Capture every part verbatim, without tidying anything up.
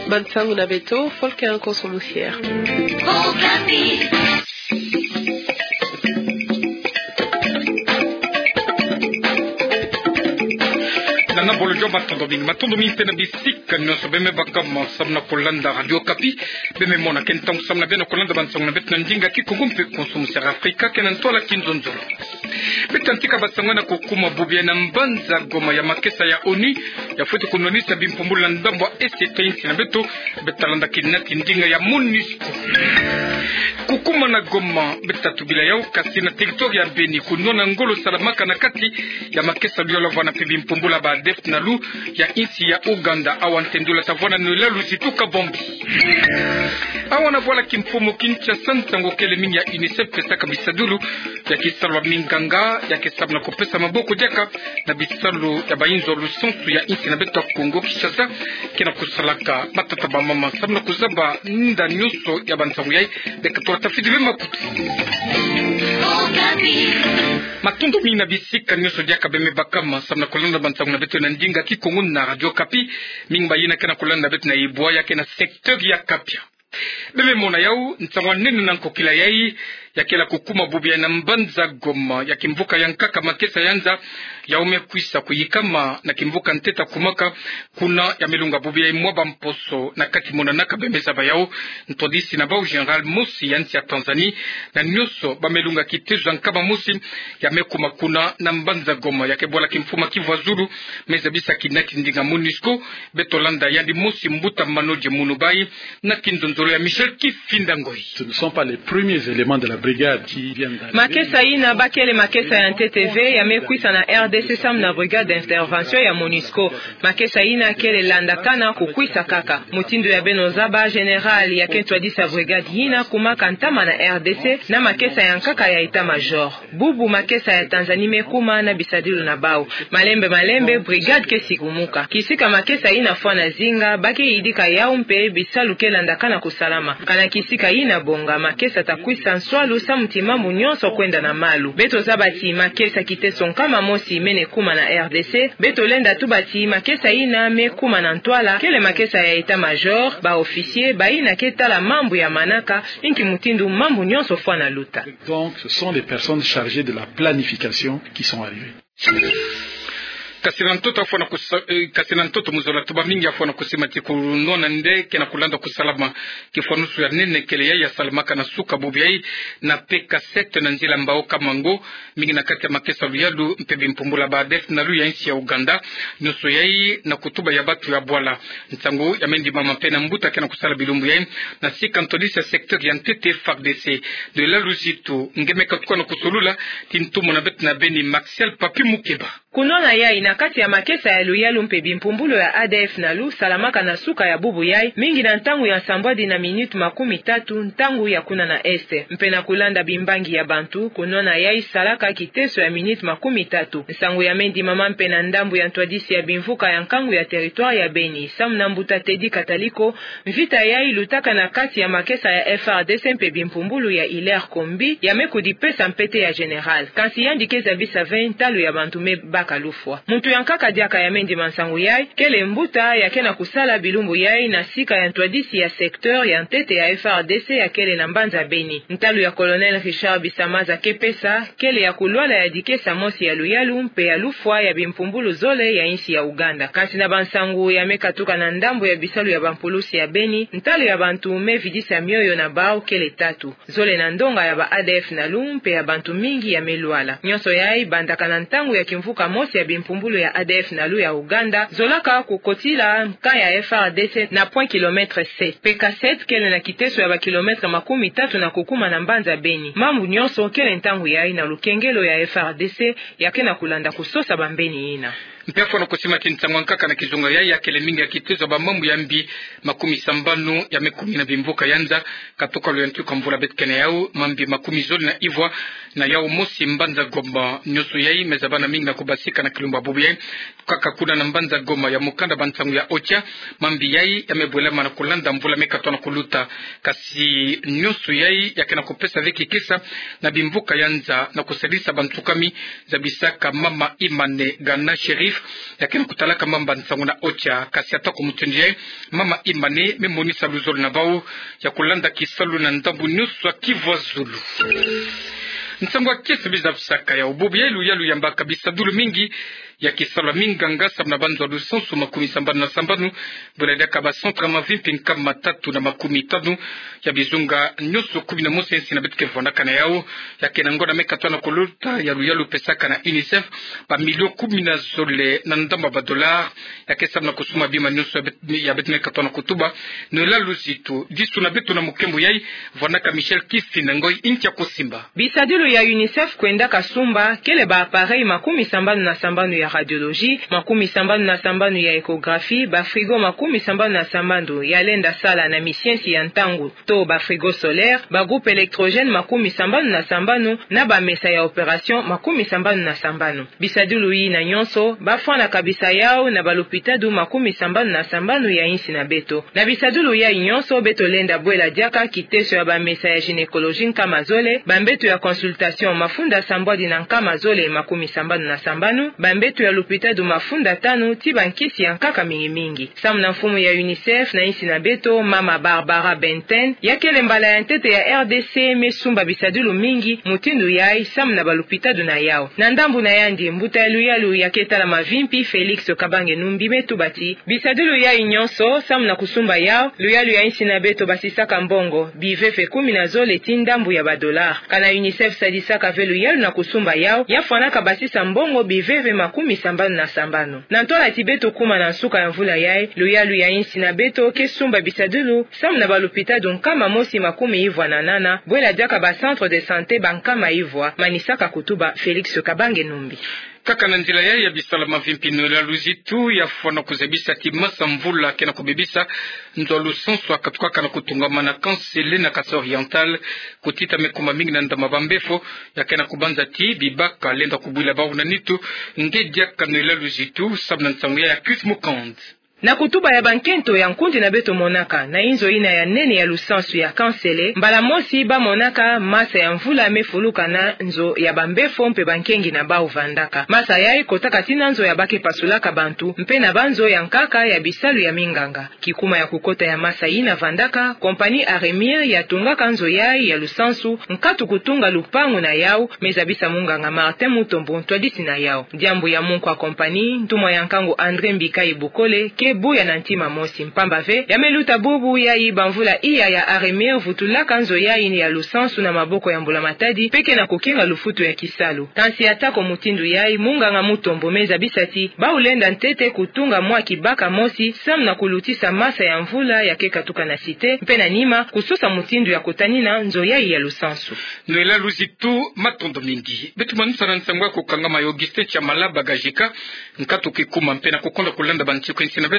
Bansangu na beto, Volker Nkonso Musier. Nana bolo jo, matondo mingi, matondo mingi mpe na bisika nyonso beme baka ma samu na kolanda Radio Okapi. Beme mona ke ntangu samu na beno kolanda bansangu na beto na ndinga Kikongo mpe Konso Musier Afrika, ke na ntwala kinzonzolo. Beto tantika bansangu na kukuma bubu ya na mbanza Goma ya makesa ya ONU, ya fweti kunwanisa bimpumbulu na ndambu ya est ya insi na beto, beto talanda kina ki ndinga ya MONUSCO. Kukuma na Goma, beto tatubila yau, kasi na territoire ya Beni, kunwana ngolo salamaka na kati ya makesa ya luyalu vwanda mpe bimpumbulu ya ba ADF-NALU ya insi ya Ouganda, awa ntendula tavwanda na Luyalu Zituka Bombi. Awa na bwala kimfumu Kinshasa, nsangu kele mingi ya UNICEF pesaka bisadulu ya kisalu ya minganga, ya ke samu na kupesa maboko diaka na bisalu ya bayinzo lusansu ya insi na beto ya Kongo Kinshasa, ke na kusalaka matata bamama samu na kuzaba nda nyonso ya bansangu yai. Beka tula tafidi be makutu. Matondo mingi na bisika nyonso diaka beme baka ma samu na kolanda bansangu na beto na ndinga Kikongo na Radio Okapi. Mingi bayina ke na kolanda beto na ibwa ya ke na secteur ya Kapia. Beme mona yau, nsangu ya nene na nkokila yai, ya kele kukuma bubu ya na mbanza Goma ya kimvuka ya nkaka makesa ya nza, yau me kwisa kuyikama na kimvuka ntete kumaka, kuna ya me lunga bubu yai mwa bamposo na kati. Monanaka beme zaba yau, ntwadisi na bau général mosi ya nsi ya Tanzanie, na nyonso ba me lunga kitezo ya nkama mosi ya me kuma kuna na mbanza Goma ya ke bwala kimfumu ya Kivu ya Zulu me zabisa kina ki ndinga MONUSCO. Beto landa yandi mosi mbuta Manodje Munubai na kinzonzolo ya Michel Kifinda Ngoi. Ce ne sont pas les premiers éléments de la brigade qui viennent d'arriver. Makesa yina ba kele makesa ya ntete ve ya me kwisa na R D C samu na brigade d'intervention ya MONUSCO. Makesa yina kele landakana kukwisa kaka. Mutindu ya beno zaba, général ya ke ntwadisi ya brigade yina kumaka ntama na R D C na makesa ya nkaka ya état-major. Bubu makesa ya Tanzanie me kuma na bisadilu na bau. Malembe malembe, brigade ke sikumuka. Kisika makesa yina fwana zinga, ba ke yidika yau mpe bisalu ke landakana kusalama. Kana kisika yina bonga, makesa ta kwisa nswalu samu ti mambu nyonso kwenda na malu. Beto zaba ti makesa kiteso nkama mosi mene kuma na R D C. Beto lenda tuba ti makesa yina me kuma na ntwala kele makesa ya état-major, ba officiers, bayina ke tala mambu ya manaka, inki mutindu mambu nyonso fwana luta. Donc, ce sont les personnes chargées de la planification qui sont arrivées. Kasi na ntoto ya fwana kusa-, eh, kasi na ntoto mu zola, tuba mingi ya fwana kusima ti kunwana nde ke na kulanda kusalama kifwanusu ya nene kele yai ya salamaka na suka bubu yai na P K sept na nzila Mbao Kamango, mingi na kati ya makesa ya luyalu mpe bimpumbulu ya ba ADF-NALU ya insi ya Ouganda. Nyonso yai na kutuba ya batu ya bwala. Nsangu ya me ndimama mpe na mbuta ke na kusala bilumbu yai na sika ntwadisi ya secteur ya ntete F A R D C. Luyalu Zitu Ngoi me katuka na kusolula ti ntumwa na beto na Beni, Martial Papi Mukeba. Kunwana yai na kati ya makesa ya luyalu mpe bimpumbulu ya ADF-NALU salamaka na suka ya bubu yai, mingi na ntangu ya nsambwadi na minute makumi tatu, ntangu ya kuna na est. Mpe na kulanda bimbangi ya bantu, kunwana yai salaka kiteso ya minute makumi tatu. Nsangu ya me ndimama mpe na ndambu ya ntwadisi ya bimvuka ya nkangu ya territoire ya Beni, samu na mbuta Teddy Kataliko, mvita yai lutaka na kati ya makesa ya F A R D C mpe bimpumbulu ya Hilaire Kombi, ya me kudipesa mpete ya général. Kansi yandi ke zabisa ve ntalu ya bantu me baka lufwa. Muntu ya nkaka diaka ya me ndima nsangu yai, kele mbuta ya ke na kusala bilumbu yai na sika ya ntwadisi ya secteur ya ntete ya F A R D C ya kele na mbanza Beni. Ntalu ya Colonel Richard Bisamaza ke pesa, kele ya kulwala ya dikesa mosi ya luyalu mpe ya lufwa ya bimpumbulu zole ya insi ya Ouganda. Kansi na bansangu ya me katuka na ndambu ya bisalu ya bampulusi ya Beni, ntalu ya bantu me vidisa mioyo na bau kele tatu. Zole na ndonga ya ba ADF-NALU mpe ya bantu mingi ya me lwala. Nyonso yai bandaka na ntangu ya kimvuka mosi ya bimpumbulu ya ADF-NALU ya Ouganda zolaka kukotila nka ya F A R D C na point kilomètre sept. P K sept kele na kiteso ya ba kilomètre makumi tatu na kukuma na mbanza Beni. Mambu nyonso kele ntangu yai na lukengelo ya F A R D C ya ke na kulanda kusosa bambeni yina. Mpe ya fwana kusima ti nsangu ya nkaka na kizunga yai ya kele mingi ya kitezo ya bamambu ya mbi makumi sambanu ya me kumi na bimvuka ya nza, katuka lo ya ntuka mvula beto ke na yau, mambi makumi zole na ivwa na yau mosi mbanza Goma. Nyonso yai me zabana mingi na kubasika na kilumbu ya bubu yai, kaka kuna na mbanza Goma ya mukanda ba nsangu ya OCHA, mambi yai ya me bwelama na kulanda mvula me katona kuluta. Kasi nyonso yai ya ke na kupesa ve kikesa na bimvuka ya nza na kusalisa bantukami, zabisaka mama Imane Gana Sherif, ya ke na kutalaka mamba nsangu na ocha, kasi atako mutindu yayi, mama Imani me monisa luzolo na bau ya kulanda kisalu na ndambu nyonso ya Kivu ya Zulu. Nsangu ya kese biza bisaka ya bubu yayi luyalu yambaka bisadulu mingi ya kisalu ya minganga samu na banzo ya lusansu makumi sambanu na sambanu, bwela diaka ba centre mavimpi nkama tatu na makumi tanu ya bizunga nyonso kumi na mosi ya insi na beto ke vandaka na yau. Ya ke na ngonda me katuka na kuluta ya luyalu pesaka na UNICEF ba million kumi na zole na ndambu ya ba dollars ya ke samu na kusumba bima nyonso ya bet-, ya beto me katuka na kutuba. Noëlla Luzitu, disu na beto na mukembo yayi, vandaka Michel Kifinda Ngoyi, nkia kusimba. Bisadulu ya UNICEF kwendaka sumba kele ba appareil makumi sambanu na sambanu ya radiologie, makumi sambanu na sambanu ya échographie, ba frigo makumi sambanu na sambanu ya lenda sala na misiensi ya ntangu to ba frigo solaire, ba groupe électrogène makumi sambanu na sambanu, na ba mesa ya opération makumi sambanu na sambanu. Bisadulu yina nyonso, ba fwanaka bisa yau na ba lupitalu makumi sambanu na sambanu ya insi na beto. Na bisadulu yayi nyonso, beto lenda bwela diaka kiteso ya ba mesa ya gynécologie nkama zole, ba mbeto ya consultation mafunda sambwadi na nkama zole makumi sambanu na sambanu, ba mbeto ya lupitalu mafunda tanu, ti ba nkisi ya nkaka mingi mingi. Samu na mfumu ya UNICEF na insi na beto, mama Barbara Benten, ya kele mbala ya ntete ya RDC me sumba bisadulu mingi mutindu yayi samu na ba lupitalu na yau. Na ndambu na yandi, mbuta ya luyalu ya ke tala mavimpi, Félix Kabange Numbi, me tuba ti bisadulu yayi nyonso, samu na kusumba yau, luyalu ya insi na beto basisaka mbongo biveve kumi na zole ti ndambu ya ba dollars. Kana UNICEF sadisaka ve luyalu na kusumba yau, ya fwanaka basisa mbongo biveve makumi sambanu na sambanu. Na ntwala ti beto kuma na nsuka ya mvula yayi, luyalu ya insi na beto ke sumba bisadulu samu na ba lupitalu nkama mosi makumi ivwa na nana, bwela diaka ba centre de santé ba nkama ivwa, manisaka kutuba Félix Kabange Numbi. Kaka na nzila yayi ya bisala mavimpi, Noëlla Luzitu ya fwana kuzabisa ti masa mvula ke na kubebisa nzo ya lusansu ya katukaka na kutungamana Kansele na Kasai Oriental, kutita me kuma mingi na ndambu ya ba mbefo, ya ke na kubanza ti bibaka lenda kubwila bau na nitu. Nge diaka Noëlla Luzitu samu na nsangu yayi ya Chris Mukand. Na kutuba ya ba nkento ya nkundi na beto monaka na inzo yina ya nene ya lusansu ya Kansele, mbala mosi ba monaka masa ya mvula me fuluka na nzo ya ba mbefo mpe ba nkengi na bau vandaka. Masa yayi kotaka ti na nzo ya ba ke pasulaka bantu, mpe na ba nzo ya nkaka ya bisalu ya minganga. Kikuma ya kukota ya masa yina vandaka, compagnie Aremir ya tungaka nzo yayi ya lusansu, nkatu kutunga lupangu na yau, me zabisa munganga Martin Mutombo, ntwadisi na yau. Diambu ya munku ya compagnie, ntumwa ya nkangu André Mbikayi Bukole, ke buya na ntima mosi, mpamba ve ya me luta bubu yayi ba mvula iya ya Aremir vutulaka nzo yayi ya lusansu na maboko ya mbula matadi, mpe ke na kukinga lufutu ya kisalu. Kansi atako mutindu yayi, munganga Mutombo me zabisa ti bau lenda ntete kutunga mwa kibaka mosi samu na kulutisa masa ya mvula ya ke katuka na Cité, mpe na nima kusosa mutindu ya kutanina nzo yayi ya lusansu. Noëlla Luzitu, matondo mingi. Beto manusa na nsangu ya kukangama ya Augustin Chamala Bagajika, nkatu kikuma mpe na kukonda kulanda ba nsiku ya insi na beto.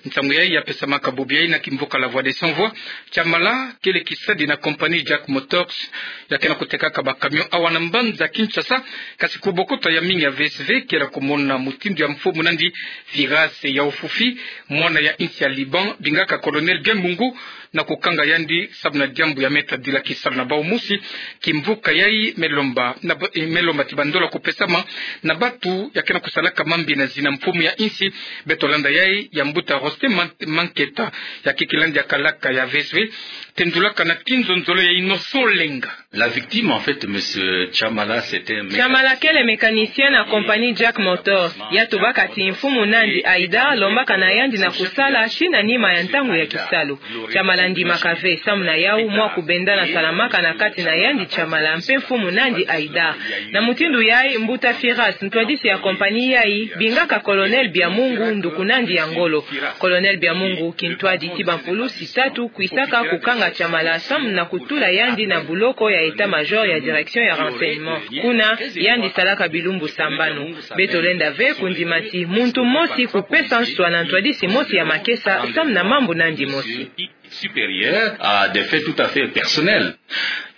Nsangu yayi ya pesamaka bubu yayi na kimvuka La Voix des Sans Voix. Chamala kele kisadi na compagnie Jack Motors, ya ke na kutekaka ba camion awa na mbanza Kinshasa. Kasi ku bokota ya mingi ya V S V, kele kumona mutindu ya mfumu nandi Firas ya Ofufi, mwana ya insi ya Liban, bingaka Colonel Biamungu, na kukanga yandi samu na diambu ya me tadila kisalu na bau mosi. Kimvuka yayi me lomba na ba-, eh, me lomba ti ba ndola kupesama na bantu ya ke na kusalaka mambi na zina mfumu ya insi. Beto landa yayi ya mbuta Roste Man-, Manketa, ya ke kilandi ya kalaka ya V S V, tendulaka na kinzonzolo ya Innocent Lenga. La victime, en fait, monsieur Chamala, c'était un mécanicien. Chamala kele mécanicien na compagnie Jack Motors. Ya tubaka ti mfumu nandi Aïda lombaka na yandi na kusala ti na nima ya ntangu ya kisalu. Chamala ndimaka ve, samu na yau mwa kubendana salamaka na kati na yandi Chamala mpe mfumu nandi Aïda. Na mutindu yayi, mbuta Firas, ntwadisi ya compagnie yayi, bingaka Colonel Biamungu nduku nandi ya ngolo. Colonel Biamungu kintwadi ti bampulusi tatu kwisaka kukanga Chamala samu na kutula yandi na buloko ya état-major ya direction ya renseignement. Kuna yandi salaka bilumbu sambanu. Beto lenda ve kundima ti muntu mosi kupesa nswa na ntwadisi mosi ya makesa samu na mambu nandi mosi. Supérieur à des faits tout à fait personnels.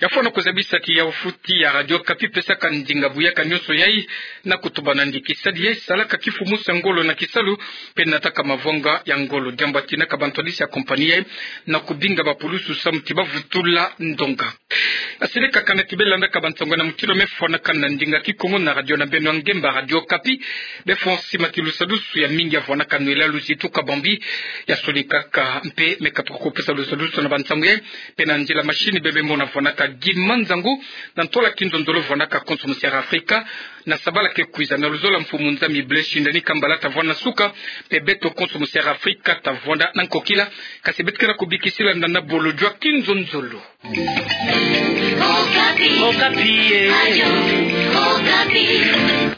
Ya fwana kuzabisa kiyawu foti ya Radio Okapi pesaka ndinga buyaka nionso yai na kutubana ndikisadi yai salaka kifumusa ngolo na kisalu, mpe nataka mavonga ya ngolo. Diambu ya tinaka bantu yadisi ya compagnie yai na kubinga bapulusu samu ti bavutula ndonga. Asili kakana ti belandaka bansango na mutilu me fwanakana na ndinga Kikongo na radio na beno ya ngemba Radio Okapi. Befo sima ti lusadusu ya mingi ya fwanaka nwela luzitu kabambi ya suli kaka mpe me katuka kupesa lusadusu na bansango yai. Mpe na nzila machine bebe mona fwanaka Guy Manzangu, na ntola kinzonzolo fwanaka Konso Musiara Afrika. Na sabala ke kwiza na luzolo mfumu Nzambi Blaise Shindani Kambala tavwanda na suka, mpe beto Konso Musiara Afrika tavwanda na nkokila. Kasi beto ke na kubikisila na bolojwa kinzonzolo. Okapi. Okapi, eh. Radio Okapi.